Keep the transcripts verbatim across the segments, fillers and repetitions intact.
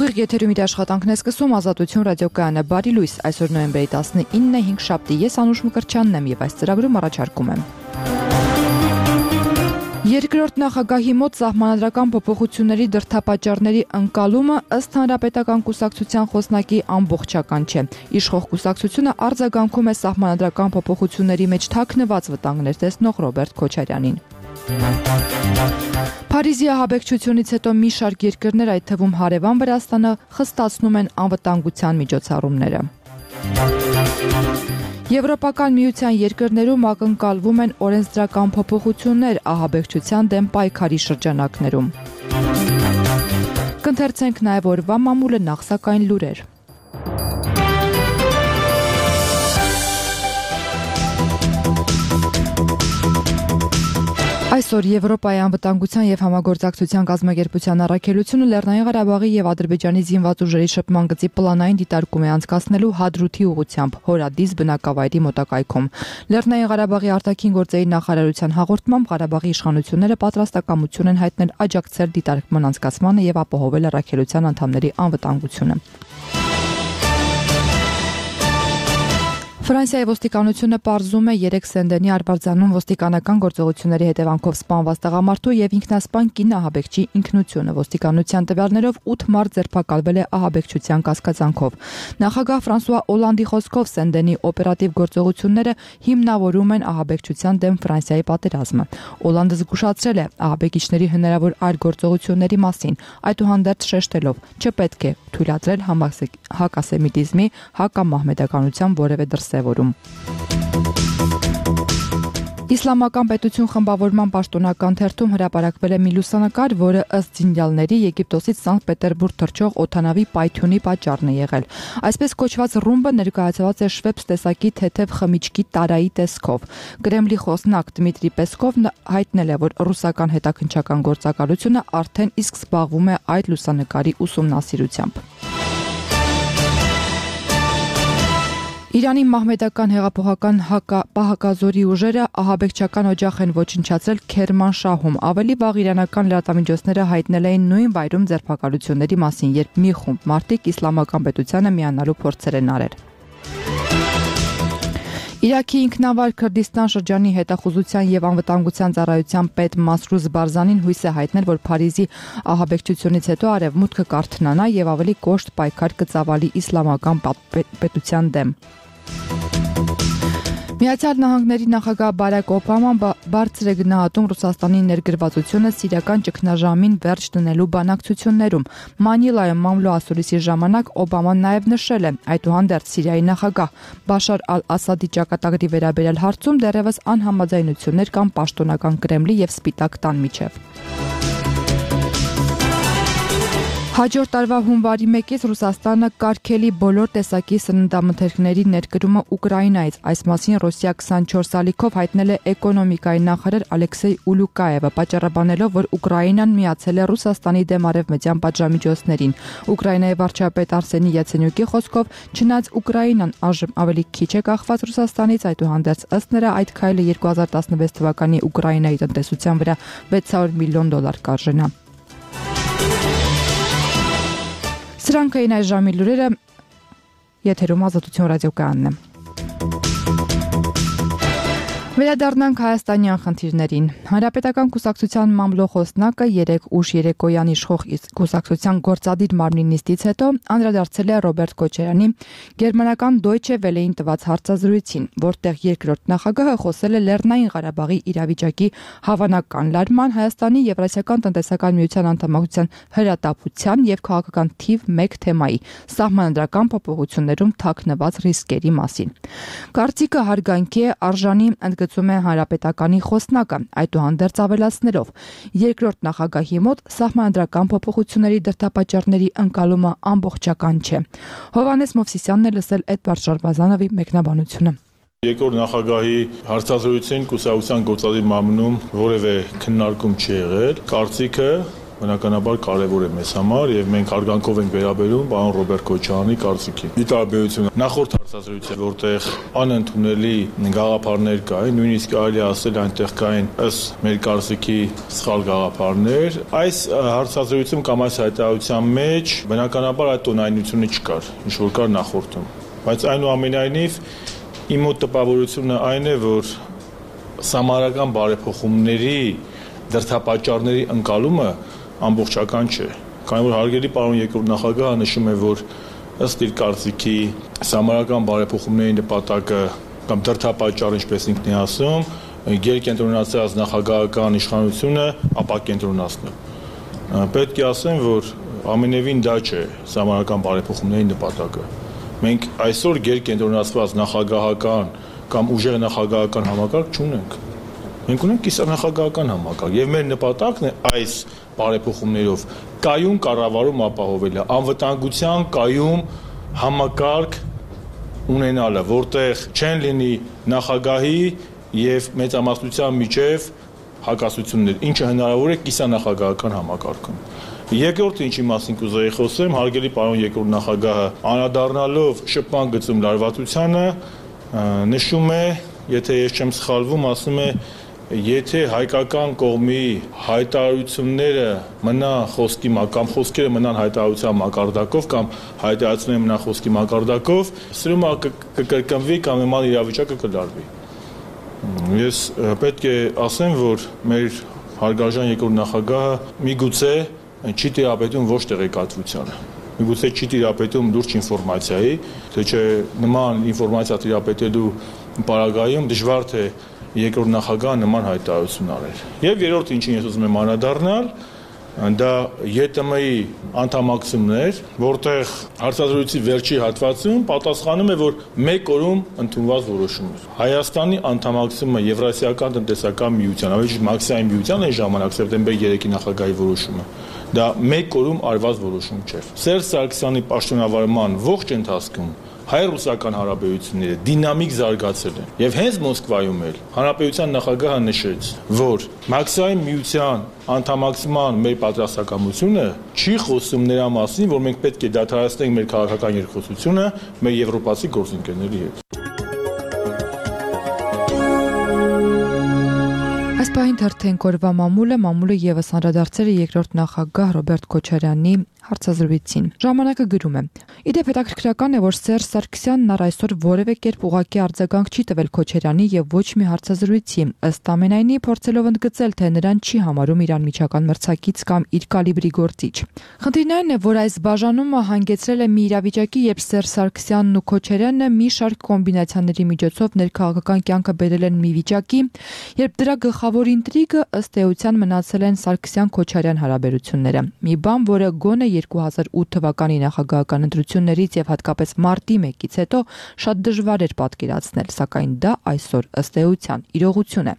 Ուղիղ եթերում իր աշխատանքն է սկսում Ազատություն ռադիոկայանը։ Բարի լույս, այսօր նոյեմբերի տասնինն է, հինգշաբթի, ես Անուշ Մկրտչյանն եմ եւ այս ծրագրում առաջարկում եմ. Երկրորդ նախագահի մոտ սահմանադրական փոփոխությունների դրդապատճառների ընկալումը ըստ Հանրապետական կուսակցության խոսնակի ամբողջական չէ։ Իշխող կուսակցությունը արձագանքում է սահմանադրական փոփոխությունների մեջ թաքնված վտանգներ տեսնող Ռոբերտ Քոչարյանին։ Փարիզի ահաբեկչությունից հետո մի շարք երկրներ, այդ թվում հարևան Վրաստանը, խստացնում են անվտանգության միջոցառումները։ Եվրոպական միության երկրներում ակնկալվում են օրենսդրական փոփոխություններ ահաբեկչության դեմ պայքարի շրջանակներում։ Կընթերցենք նաև օրվա մամուլը, նախ սակայն լուրեր։ Այսօր Եվրոպայի անվտանգության և համագործակցության կազմակերպության առաքելությունը Լեռնային Ղարաբաղի և Ադրբեջանի զինված ուժերի շփման գծի պլանային դիտարկում է անցկացնելու Հադրութի ուղղությամբ Հորադիս բնակավայրի մոտակայքում։ Լեռնային Ղարաբաղի արտաքին գործերի նախարարության հաղորդմամբ Ղարաբաղի իշխանությունները պատրաստակամություն են հայտնել աջակցել դիտարկման անցկացմանը և ապահովել առաքելության անդամների անվտանգությունը։ Ֆրանսիայի ոստիկանությունը պարզում է երեք Սենդենի Արբարձանում ոստիկանական գործողությունների հետևանքով սպանված տղամարդու և ինքնասպան կին ահաբեկչի ինքնությունը։ Ոստիկանության տվյալներով ութ մարդ ձերբակալվել է ահաբեկչության կասկածանքով։ Նախագահ Ֆրանսուଆ Օլանդի խոսքով Սենդենի օպերատիվ գործողությունները հիմնավորում են ահաբեկչության դեմ Ֆրանսիայի պատերազմը։ Օլանդը զգուշացրել է ահաբեկիչների հնարավոր այլ գործողությունների մասին, այդուհանդերձ շեշտելով՝ չպետք է թույլատրել հակասեմիտիզմի, հակամահմեդականության որևէ դրսևորում։ Իսլամական պետություն խմբավորման պաշտոնական թերթում հրապարակվել է մի լուսանկար, որը ըստ զինյալների Եգիպտոսից Սանկտ Պետերբուրգ թռչող օդանավի պայթյունի պատճառն է եղել։ Այսպես կոչված ռումբը ներկայացված է շվեպս տեսակի թեթև խմիչքի տարայի տեսքով։ Կրեմլի խոսնակ Դմիտրի Պեսկովն հայտնել է, որ ռուսական հետաքննչական գործակալությունը արդեն իսկ զբաղվում է այդ լուսանկարի ուսումնասիրությամբ։ Իրանի մահմեդական հեղափոխական պահակազորի ուժերը ահաբեկչական օջախ են ոչնչացրել Քերմանշահում։ Ավելի վաղ իրանական լրատվամիջոցները հայտնել էին նույն վայրում ձերբակալությունների մասին, երբ մի խումբ մարդիկ իսլամական պետությանը միանալու փորձեր են արել։ Իրաքի ինքնավար Քրդիստան շրջանի հետախուզության և անվտանգության ծառայության պետ Մասրուզ Բարզանին հույս է հայտնել, որ Փարիզի ահաբեկչությունից հետո արևմուտքը կարթնանա և ավելի կոշտ պայքար կծավալի իսլամական պետության դեմ։ Միացյալ Նահանգների նախագահ Բարակ Օբաման բարձր է գնահատում Ռուսաստանի ներգրավվածությունը սիրիական ճգնաժամին վերջ դնելու բանակցություններում։ Մանիլայում մամլո ասուլիսի ժամանակ Օբաման նաև նշել է, այդուհանդերձ Սիրիայի նախագահ Բաշար ալ-Ասադի ճակատագրի վերաբերյալ հարցում դեռևս անհամաձայնություններ կան պաշտոնական Կրեմլի և Սպիտակ տան միջև։ Հաջորդ տարվա հունվարի մեկից Ռուսաստանը կարգելի բոլոր տեսակի սննդամթերքների ներկրումը Ուկրաինայից։ Այս մասին Ռոսիա քսանչորս ալիքով հայտնել է էկոնոմիկայի նախարար Ալեքսեյ Ուլուկաևը, պատճառաբանելով, որ Ուկրաինան միացել է Ռուսաստանի դեմ արևմտյան պատժամիջոցներին։ Ուկրաինայի վարչապետ Արսենի Յացենյուկի խոսքով, չնայած Ուկրաինան այժմ ավելի քիչ է կախված Ռուսաստանից, այդուհանդերձ ըստ նրա այդ քայլը երկու հազար տասնվեց թվականի Ուկրաինայի տնտեսության վրա վեց հարյուր միլիոն դոլար կարժենա։ Սրանք էին այս ժամի լուրերը, եթերում Ազատություն ռադիոկայանն է։ Վերադառնանք հայաստանյան խնդիրներին։ Հանրապետական կուսակցության մամլո խոսնակը երեկ ուշ երեկոյան իշխող կուսակցության գործադիր մարմնի նիստից հետո անդրադարձել է Ռոբերտ Քոչարյանի գերմանական Deutsche Welle-ին տված հարցազրույցին, որտեղ երկրորդ նախագահը խոսել է Լեռնային Ղարաբաղի իրավիճակի հավանական լարման, Հայաստանի Եվրասիական տնտեսական միության անդամակցության հրատապության և քաղաքական թիվ մեկ թեմայի՝ սահմանադրական փոփոխություններում թաքնված ռիսկերի մասին։ Կարծիքը հարգանքի է արժանի, ընդգծում է Հանրապետականի խոսնակը, այդուհանդերձ ավելացնելով. երկրորդ նախագահի մոտ սահմանադրական փոփոխությունների դրդապատճառների ընկալումը ամբողջական չէ։ Հովհաննես Մովսիսյանն է լսել Էդվարդ Շարբազանովի մեկնաբանությունը։ Երկրորդ նախագահի հարցազրույցին կուսակցության գործադիր մարմնում որևէ քննարկում չի եղել։ Կարծիքը բնականաբար կարևոր է մեզ համար եւ մենք հարգանքով ենք վերաբերում պարոն Ռոբերտ Քոչարյանի կարծիքին։ Ի տարբերություն նախորդ հարցազրույց է, որտեղ անընդունելի գաղափարներ կային, նույնիսկ կարելի ասել այնտեղ կային ըստ մեր կարծիքի սխալ գաղափարներ։ Այս հարցազրույցում կամ այս հայտարարության մեջ բնականաբար այդ տոնայնությունը չկար, ինչ որ կար նախորդում։ Բայց այնուամենայնիվ իմ մոտ տպավորությունը այն է, որ սահմանադրական բարեփոխումների դրդապատճառների ընկալումը ամբողջական չէ։ Քանի որ հարգելի պարոն երկրորդ նախագահը նշում է, որ ըստ իր կարծիքի սահմանադրական բարեփոխումների նպատակը կամ դրդապատճառը, ինչպես ինքն է ասում, գերկենտրոնացած նախագահական իշխանությունը ապակենտրոնացնել։ Պետք է ասեմ, որ ամենևին դա չէ սահմանադրական բարեփոխումների նպատակը։ Մենք այսօր գերկենտրոնացված նախագահական կամ ուժեղ նախագահական համակարգ չունենք։ Մենք ունենք կիսանախագահական համակարգ եւ մեր նպատակն է այս բարեփոխումներով կայուն կառավարում ապահովելը, անվտանգության կայուն համակարգ ունենալը, որտեղ չեն լինի նախագահի եւ մեծամասնության միջև հակասություններ, ինչը հնարավոր է կիսանախագահական համակարգում։ Երկրորդը, ինչի մասին կուզեի խոսեմ, հարգելի պարոն երկրորդ նախագահը անդրադառնալով շփման գծում լարվածությանը նշում է, եթե ես չեմ սխալվում, ասում է, եթե հայկական կողմի հայտարարությունները մնան խոսքի կամ խոսքերը մնան հայտարարության մակարդակով կամ հայտարարությունները մնան խոսքի մակարդակով, սրումը կկրկնվի կամ նման իրավիճակը կլարվի։ Ես պետք է ասեմ, որ մեր հարգարժան երկրորդ նախագահը միգուցե չի տիրապետում ոչ տեղեկատվությանը։ Միգուցե չի տիրապետում լուրջ ինֆորմացիայի, թե չէ նման ինֆորմացիա տիրապետելու պարագայում դժվար թե երկրորդ նախագահը նման հայտարարություն արել։ Եվ երրորդը, ինչին ես ուզում եմ անդրադառնալ, դա ԵՏՄ-ի անդամակցումն էր, որտեղ հարցազրույցի վերջի հատվածում պատասխանում է, որ մեկ օրում ընդունված որոշում էր։ Հայաստանի անդամակցումը Եվրասիական տնտեսական միության, ավելի ճիշտ Մաքսիայի միության այն ժամանակ սեպտեմբեր երեքի նախագահի որոշումը, դա մեկ օրում արված որոշում չէր։ Սերժ Սարգսյանի պաշտոնավարման ողջ ընթացքում հայ-ռուսական հարաբերությունները դինամիկ զարգացել են։ Եվ հենց Մոսկվայում էլ հանրապետության նախագահը նշեց, որ Մաքսիայի միության անդամակցման մեր պատրաստակամությունը չի խոսում նրա մասին, որ մենք պետք է դադարեցնենք մեր քաղաքական երկխոսությունը մեր եվրոպացի գործընկերների հետ։ Այս պահին թերթենք օրվա մամուլը, մամուլը եւս անդրադարձել է երկրորդ նախագահ Ռոբերտ Քոչարյանի հարցազրույցին։ Ժամանակը գրում է. Իդեպ հետաքրքրական է, որ Սերժ Սարգսյանն առ այսօր որևէ կերպ ուղղակի արձագանք չի տվել Քոչարյանի եւ ոչ մի հարցազրույցի, ըստ ամենայնի փորձելով ընդգծել, թե նրան չի համարում իր անմիջական մրցակից կամ իր կալիբրի գործիչ։ Խնդիրն այն է, որ այս բաժանումը հանգեցրել է մի իրավիճակի, երբ Սերժ Սարգսյանն ու Քոչարյանը մի շարք կոմբինացիաների միջոցով ներքաղաքական կյանքը բերել են մի վիճակի, երբ դրա գլխավոր ինտրիգը ըստ էության մնացել են Սարգսյան-Քոչարյան հարաբերությունները։ Մի բան, որը գոնե երկու հազար ութ թվականի նախագահական ընտրություններից եւ հատկապես մարտի մեկից հետո շատ դժվար էր պատկերացնել, սակայն դա այսօր ըստ էության իրողություն է։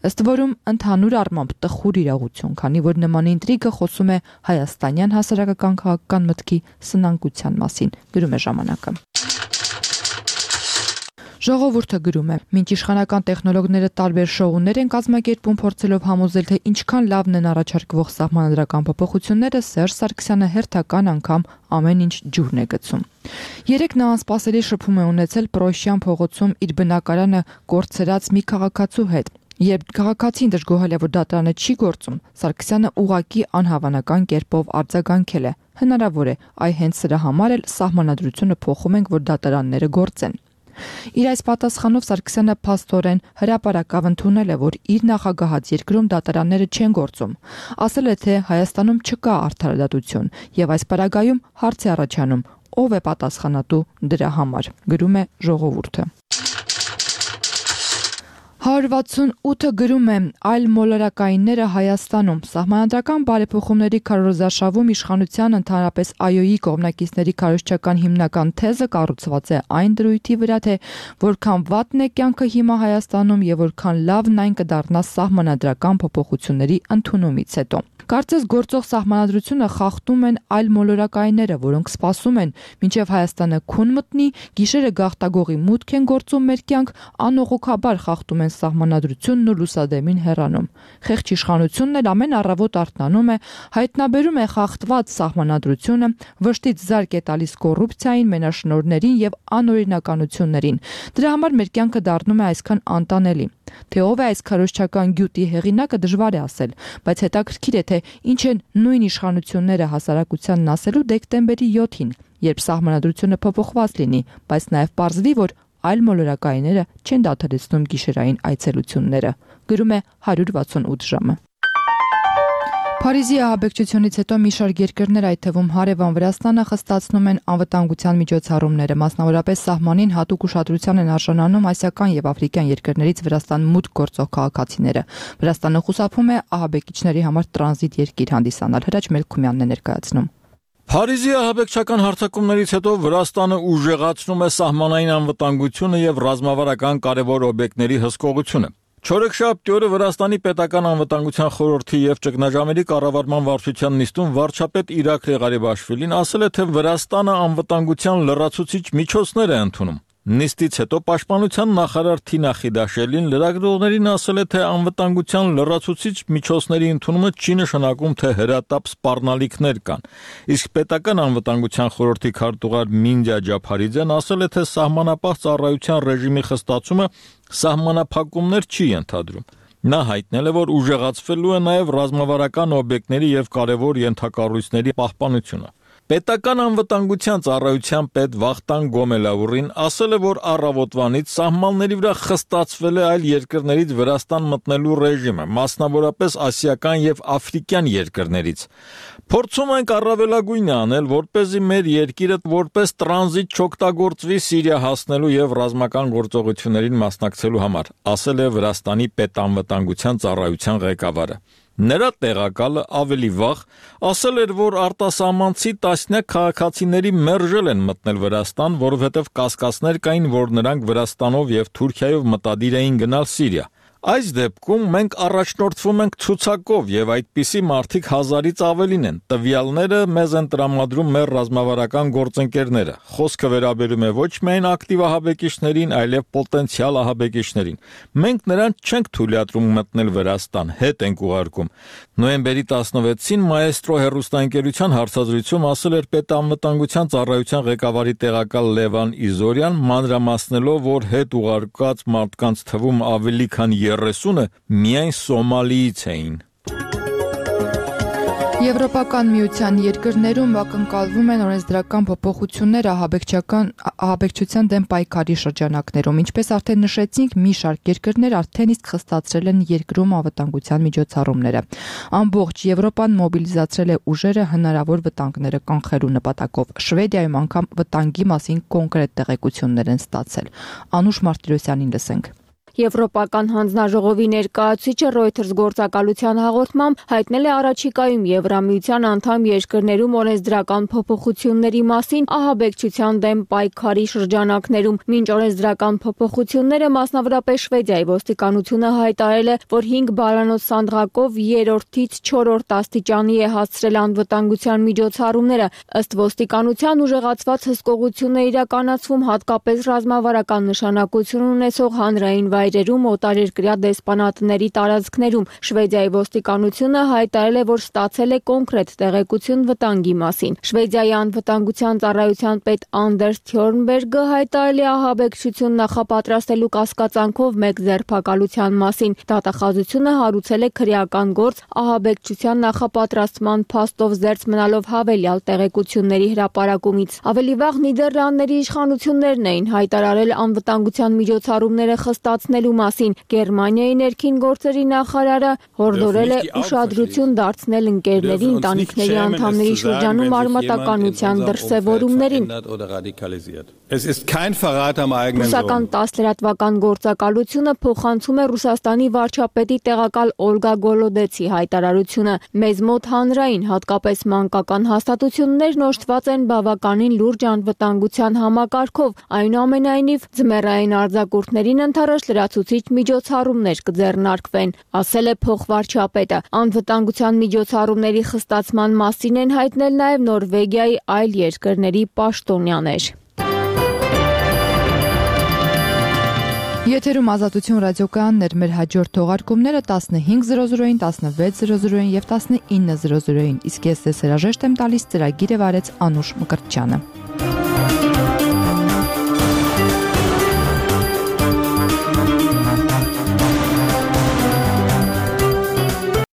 Ըստ որում ընդհանուր առմամբ տխուր իրողություն, քանի որ նման ինտրիգը խոսում է հայաստանյան հասարակական քաղաքական մտքի սնանկության մասին, գրում է ժամանակը։ Ժողովուրդը գրում է. Մինչ իշխանական տեխնոլոգները տարբեր շոուներ են կազմակերպում, փորձելով համոզել, թե ինչքան լավն են առաջարկվող սահմանադրական փոփոխությունները, Սերժ Սարգսյանը հերթական անգամ ամեն ինչ ջուրն է գցում։ Երեք նա անսպասելի շփում է ունեցել Պրոշյան փողոցում իր բնակարանը կորցրած մի քաղաքացու հետ։ Երբ քաղաքացին դժգոհել է, որ դատարանը չի գործում, Սարգսյանը ուղղակի անհավանական կերպով արձագանքել է։ Հնարավոր է, այ հենց սրա համար էլ սահմանադրությունը փոխում ենք, որ դատարանները գործեն։ Իր այս պատասխանով Սարգսյանը փաստորեն հրապարակավ ընդունել է, որ իր նախագահած երկրում դատարանները չեն գործում։ Ասել է, թե Հայաստանում չկա արդարադատություն, եւ այս պարագայում հարց է առաջանում, ով է պատասխանատու դրա համար, գրում է Ժողովուրդը։ հարյուր վաթսունութը գրում է. այլ մոլորակայինները Հայաստանում սահմանադրական բարեփոխումների քարոզարշավում իշխանության ընդհանրապես ԱՅՈ-ի կողմնակիցների քարոզչական հիմնական թեզը կառուցված է այն դրույթի վրա, թե որքան վատն է կյանքը հիմա Հայաստանում եւ որքան լավն այն կդառնա սահմանադրական փոփոխությունների ընդունումից հետո։ Կարծես գործող սահմանադրությունը խախտում են այլ մոլորակայինները, որոնք սպասում են, մինչև Հայաստանը քուն մտնի, գիշերը գաղտագողի մուտք են գործում մեր կյանք, անողոքաբար խախտում են սահմանադրությունն ու լուսադեմին հեռանում։ Խեղճ իշխանությունն էլ ամեն առավոտ արթնանում է, հայտնաբերում է խախտված սահմանադրությունը, վշտից զարկ է տալիս կոռուպցիային, մենաշնորհներին եւ անօրինականություններին։ Դրա համար մեր կյանքը դառնում է այսքան անտանելի։ Թե ով է այս քարոզչական գյուտի հեղինակը դժվար է ասել, բայց հետաքրքիր է, թե ինչ են նույն իշխանությունները հասարակությանն ասելու դեկտեմբերի յոթին, երբ սահմանադրությունը փոփոխված լինի, բայց նաև պարզվի, որ այլ մոլորակայինները չեն դադարեցնում գիշերային այցելությունները։ Գրում է հարյուր վաթսունութ ժամը։ Փարիզի ահաբեկչությունից հետո մի շարք երկրներ, այդ թվում հարևան Վրաստանը, խստացնում են անվտանգության միջոցառումները, մասնավորապես սահմանին հատուկ ուշադրության են արժանանում ասիական եւ աֆրիկյան երկրներից Վրաստան մուտք գործող քաղաքացիները։ Վրաստանը խուսափում է ահաբեկիչների համար տրանզիտ երկիր հանդիսանալ։ Հրաչ Մելքումյանն է ներկայացնում։ Փարիզի ահաբեկչական հարձակումներից հետո Վրաստանը ուժեղացնում է սահմանային անվտանգությունը եւ ռազմավարական կարևոր օբյեկտների հսկողությունը։ Չորեքշաբթի օրը Վրաստանի պետական անվտանգության խորհրդի եւ ճգնաժամերի կառավարման վարչության նիստում վարչապետ Իրաքլի Ղարիբաշվիլին ասել է, թե Վրաստանը անվտանգության լրացուցիչ միջոցներ է ընդունում։ Նիստից հետո պաշտպանության նախարար Թինա Խիդաշելին լրագրողներին ասել է, թե անվտանգության լրացուցիչ միջոցների ընդունումը չի նշանակում, թե հրատապ սպառնալիքներ կան։ Իսկ պետական անվտանգության խորհրդի քարտուղար Մինդիա Ջափարիձեն ասել է, թե սահմանապահ ծառայության ռեժիմի խստացումը սահմանափակումներ չի ենթադրում։ Նա հայտնել է, որ ուժեղացվելու է նաև ռազմավարական օբյեկտների եւ կարևոր ենթակառույցների պահպանությունը։ Պետական անվտանգության ծառայության պետ Վախտան Գոմելաուրին ասել է, որ առավոտվանից սահմանների վրա խստացվել է այլ երկրներից Վրաստան մտնելու ռեժիմը, մասնավորապես ասիական եւ աֆրիկյան երկրներից։ Փորձում ենք առավելագույնը անել, որպեսզի մեր երկիրը որպես տրանզիտ չօգտագործվի Սիրիա հասնելու եւ ռազմական գործողություններին մասնակցելու համար, ասել է Վրաստանի պետանվտանգության ծառայության ղեկավարը։ Նրա տեղակալը ավելի վաղ ասել էր, որ արտասահմանցի տասնյակ քաղաքացիների մերժել են մտնել Վրաստան, որովհետև կասկածներ կային, որ նրանք Վրաստանով եւ Թուրքիայով մտադիր էին գնալ Սիրիա։ Այս դեպքում մենք առաջնորդվում ենք ցուցակով եւ այդպիսի մարդիկ հազարից ավելին են։ Տվյալները մեզ են տրամադրում մեր ռազմավարական գործընկերները։ Խոսքը վերաբերում է ոչ միայն ակտիվ ահաբեկիչներին, այլև պոտենցիալ ահաբեկիչներին։ Մենք նրանց չենք թույլատրում մտնել Վրաստան, հետ ենք ուղարկում։ Նոյեմբերի տասնվեցին Մայեստրո հեռուստաընկերության հարցազրույցում ասել էր պետանվտանգության ծառայության ղեկավարի տեղակալ Լևան Իզորյան, մանրամասնելով, որ հետ ուղարկած մարդկանց թվում ավելի քան երեսունը միայն Սոմալիից էին։ Եվրոպական միության երկրներում ակնկալվում են օրենսդրական փոփոխություններ ահաբեկչական ահաբեկչության դեմ պայքարի շրջանակներում, ինչպես արդեն նշեցինք, մի շարք երկրներ արդեն իսկ խստացրել են երկրում անվտանգության միջոցառումները։ Ամբողջ Եվրոպան մոբիլիզացրել է ուժերը հնարավոր վտանգները կանխելու նպատակով։ Շվեդիայում անգամ վտանգի մասին կոնկրետ տեղեկություններ են ստացել։ Անուշ Մարտիրոսյանին լսենք։ Եվրոպական հանձնաժողովի ներկայացուցիչը Reuters գործակալության հաղորդմամբ հայտնել է առաջիկայում Եվրամիության անդամ երկրներում օրենսդրական փոփոխությունների մասին ահաբեկչության դեմ պայքարի շրջանակներում։ Մինչ օրենսդրական փոփոխությունները, մասնավորապես Շվեդիայի ոստիկանությունը հայտարարել է, որ հինգ բարանոց սանդղակով երրորդից չորրորդ աստիճանի է հասցրել անվտանգության միջոցառումները։ Ըստ ոստիկանության ուժեղացված հսկողություն է իրականացվում հատկապես ռազմավարական նշանակություն ունեցող հանրային վայրերում, օտարերկրյա դեսպանատների տարածքներում։ Շվեդիայի ոստիկանությունը հայտարարել է, որ ստացել է կոնկրետ տեղեկություն վտանգի մասին։ Շվեդիայի անվտանգության ծառայության պետ Անդերս Թյորնբերգը հայտարարել է ահաբեկչություն նախապատրաստելու կասկածանքով մեկ ձերբակալության մասին։ Դատախազությունը հարուցել է քրեական գործ ահաբեկչության նախապատրաստման փաստով զերծ մնալով հավելյալ տեղեկությունների հրապարակումից։ Ավելի վաղ Նիդերլանդների իշխանություններն էին հայտարարել անվտանգության միջոցառումները խստացնելու մասին։ Գերմանիայի ներքին գործերի նախարարը հորդորել է ուշադրություն դարձնել ընկերների, ընտանիքների անդամների շրջանում արմատականության դրսևորումներին։ Ռուսական տասնլրատվական գործակալությունը փոխանցում է Ռուսաստանի վարչապետի տեղակալ Օլգա Գոլոդեցի հայտարարությունը։ Մեզ մոտ հանրային, հատկապես մանկական հաստատություններն օժտված են բավականին լուրջ անվտանգության համակարգով, այնուամենայնիվ ձմեռային արձակուրդներին ընդառաջ լրացուցիչ միջոցառումներ կձեռնարկվեն, ասել է փոխվարչապետը։ Անվտանգության միջոցառումների խստացման մասին են հայտնել նաև Նորվեգիայի այլ երկրների պաշտոնյաներ։ Եթերում Ազատություն ռադիոկայանն էր, մեր հաջորդ թողարկումները տասնհինգ զրո զրոին, տասնվեց զրո զրոին եւ տասնինը զրո զրոին, իսկ ես ձեզ հրաժեշտ եմ տալիս, ծրագիրը վարեց Անուշ Մկրտչյանը։